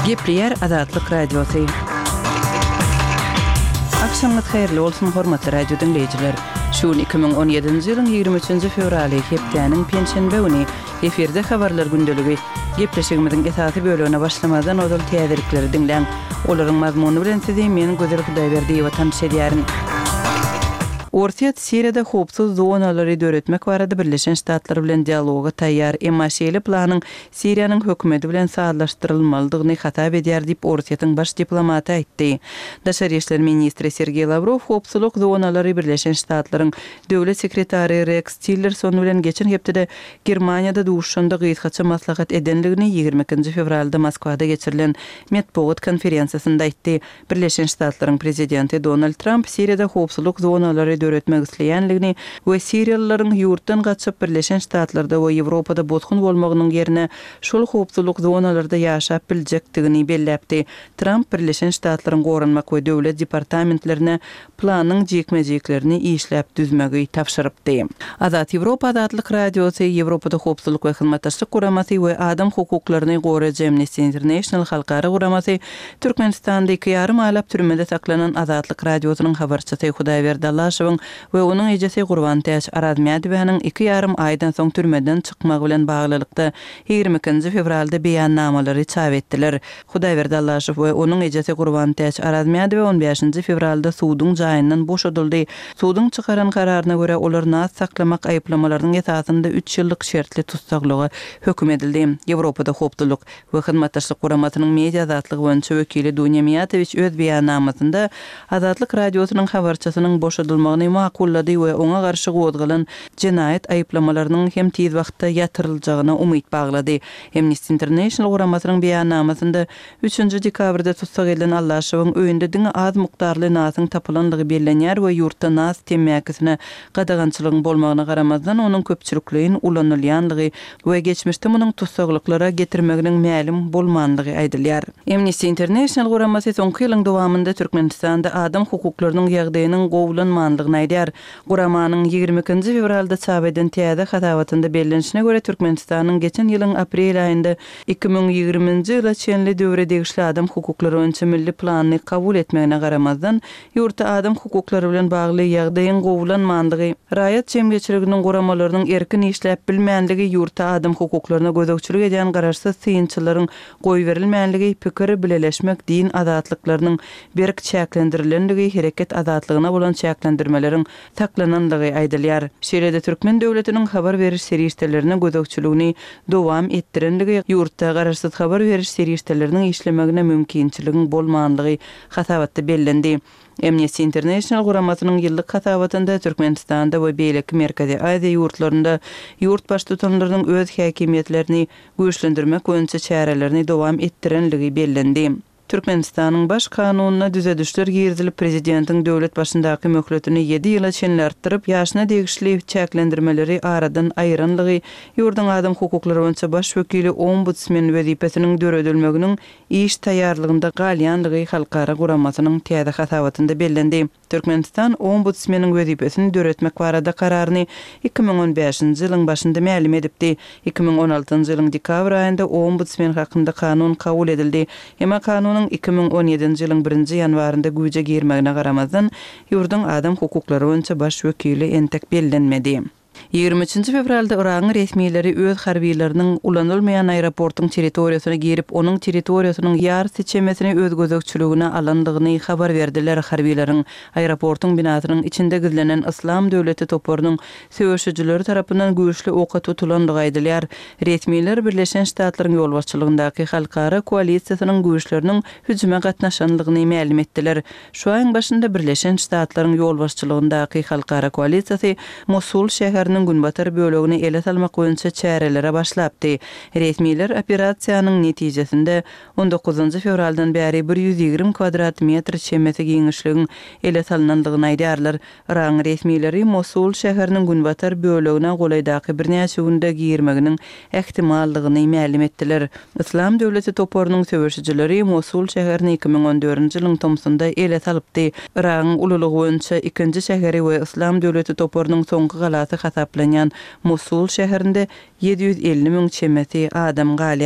Gepleyer Azatlyk Radiosu. Akşamınız hayırlı olsun hormatly radio dinleyijiler. Şu 2017-nji ýylyň 23-nji fevraly hepdeniň penşenbe güni efirde habarlar gündeligi gepleşigimiziň esasy bölügine başlamadan odal täzelikleri dinleň. Olaryň mazmuny bilen sizi men Gözel Hudaýberdi watan şedýärin. Orta Siriýada howpsuz zonalary döretmek barada Birleşen Ştatlar bilen dialoga taýýar emmaşeli planyň Siriýanyň hökümeti bilen saatlaşdyrylmalydygyny hatap edýär diýip Ortaýatyň baş diplomaty aýtdy. Daşary işler ministri Sergey Lavrov howpsuzlyk zonalary Birleşen Ştatlaryň döwlet sekretary Rex Tillerson bilen geçen hepde Germaniýada duşunda gyýtgaça maslahat edenligini 22 fevralda Moskwada geçirilen Medbuat konferensiýasynda aýtdy. Birleşen Ştatlaryň prezidenti Donald Trump Siriýada howpsuzlyk zonalary döretmek isleýänligini we Siriýalylaryň ýurtdan gaçyp Birleşen Ştatlarda we Ýewropada botgun bolmagynyň ýerine şol howpsuzlyk zonalarynda ýaşap biljekdigini belläpdi. Trump Birleşen Ştatlaryň gorunmak we döwlet departamentlerine planyň jekmejeklerini işläp düzmegi tapşyrypdy. Azat Ýewropa Azatlyk Radiosu Ýewropada howpsuzlyk we hyzmatdaşlyk guramasy we adam hukuklaryny goraýan Amnesty International halkara guramasy Türkmenistanda 2,5 aýlap türmede saklanan Azatlyk Radiosynyň habarçysy Hudaýberdi Allaşewiň we onuň ejesi Gurban Täş Arazmiýadowyň 2,5 aýdan soň türmeden çykmagy bilen baglylykda 22 fevralda beýannamalary çap etdiler. Hudaýberdi Allaşew we onuň ejesi Gurban Täş Arazmiýadowy 15 fevralda suwdyň jaýyndan boşadyldy. Suwdyň çykaran kararyna görä olar nas saklamak aýplamalarynyň esasynda 3 ýyllyk şertli tutsaklygy höküm edildi. Ýewropada howpsuzlyk we hyzmatdaşlyk guramasynyň media azatlygy boýunça wekili Dunya Miýatowiç öz beýannamasynda Azatlyk Radiosynyň habarçysynyň boşadylmagyny makullady we oňa garşy gowdgalan jinayet aýplamalarynyň hem tiz wagtda ýatyryljagına umyt baglady. Amnesty International guramasynyň beýannamasynda 3 dekabrda tutsak edilen Allaşewiň öýünde diňe az mukdarly nasyň tapylanlygy bellenýär we ýurtda nas temmäkisine gadagançylygyň bolmagyna garamazdan onuň köpçülikligiň ulanylýanlygy we geçmişde munyň tutsaklyklara getirmeginiň mälim bolmanlygy aýdylýar. Amnesty International guramasy soňky ýylyň dowamında Türkmenistanda adam hukuklarynyň ýagdaýynyň gowulanmanlygyny aýdýar. Guramanyň 22 fevralda çap eden täze hatawatynda bellenişine görä Türkmenistanyň geçen ýylyň aprel aýynda 2020-nji ýyla çenli döwre degişli adam hukuklary boýunça milli planyny kabul etmegine garamazdan ýurtda adam hukuklary bilen bagly ýagdaýyň gowulanmanlygy, raýat jemgyýetçiliginiň guramalarynyň erkin işläp bilmänligi, ýurtda adam hukuklaryna gözükçilik eden garaşsyz syýynçylaryň goý berilmänligi, pikir bileleşmek, din azatlyklarynyň berk çäklendirilenligi, hereket azatlygyna bolan çäklendirmeleriň taklananlygy aýdylýar. Şeýlede Türkmen döwletiniň habar beriş serýişlerine gözükçiligini dowam etdirenligi, ýurtda garaşsyz habar beriş serýişleriniň işlemegine mümkinçiligiň bolmanlygy hatawatda bellendi. Amnesty International guramasynyň ýyllyk hatawatynda Türkmenistanda we beýleki Merkezi Aziýa ýurtlarynda ýurt baş tutanlarynyň öz häkimiýetlerini güýçlendirmek boýunça çärelerini dowam etdirenligi bellendi. Türkmenistanyň baş kanunyna düzedişler girdilip prezidentiň döwlet başyndaky möhletini 7 ýyla çenlertirip ýaşyna degişli çäklendirmeleri aradan aýranlygy, ýurdun adam hukuklary boýunça baş wekili ombudsman wezipesiniň döredilmeginiň iş taýýarlygynda galýanlygy halkara guramasynyň täze hatawatynda bellendi. Türkmenistan ombudsmanyň wezipesini döretmek barada kararyny 2015-nji ýylyň başynda mälim edipdi. 2016-njy ýylyň dekabr aýynda ombudsman hakynda kanun kabul edildi. Emma kanun 2017-nji ýylyň 1-nji ýanwarynda güýje girmegine garamazdan ýurdun adam hukuklary boýunça baş wekili entek bellenmedi. 23 fevralda Iraň resmiýetleri öz harbiýetleriniň ulanylmaýan aeroportyň territoriýasyna girip, onuň territoriýasynyň ýar seçemesini öz gözükçiligine alandygyny habar berdiler. Harbiýetleriň aeroportyň binasynyň içinde gizlenen Islam döwleti toparynyň söwüşçileri tarapyndan güýçli oka tutulandygy aýdylýar. Resmiýetler Birleşen Ştatlaryň ýolbaşçylygyndaky halkara koalisiýasynyň güýçleriniň hüjüme gatnaşanlygyny mälim etdiler. Şu aýyň başynda Birleşen Ştatlaryň ýolbaşçylygyndaky halkara koalisiýasy Mosul şäheriniň günbatar bölegini ele salmak boýunça çärelere başlapdy. Resmiýetler operasiýanyň netijesinde 19 fevraldan bäri 120 kvadrat metr çemeti giňişligiň ele salananlygyny aýdýarlar. Iraň resmiýetleri Mosul şäheriniň günbatar bölegine golaýdaky birnäçe günde girmeginiň ähtimallygyny mälim etdiler. Islam döwleti toparynyň söwüşçileri Mosul şäherini 2014-nji ýylyň tomsunda ele salypdy. Iraň ululygy boýunça ikinji şäheri we Islam döwleti toparynyň soňky galasy hasaplanýan Mosul şäherinde 750 000 çemeti adam galy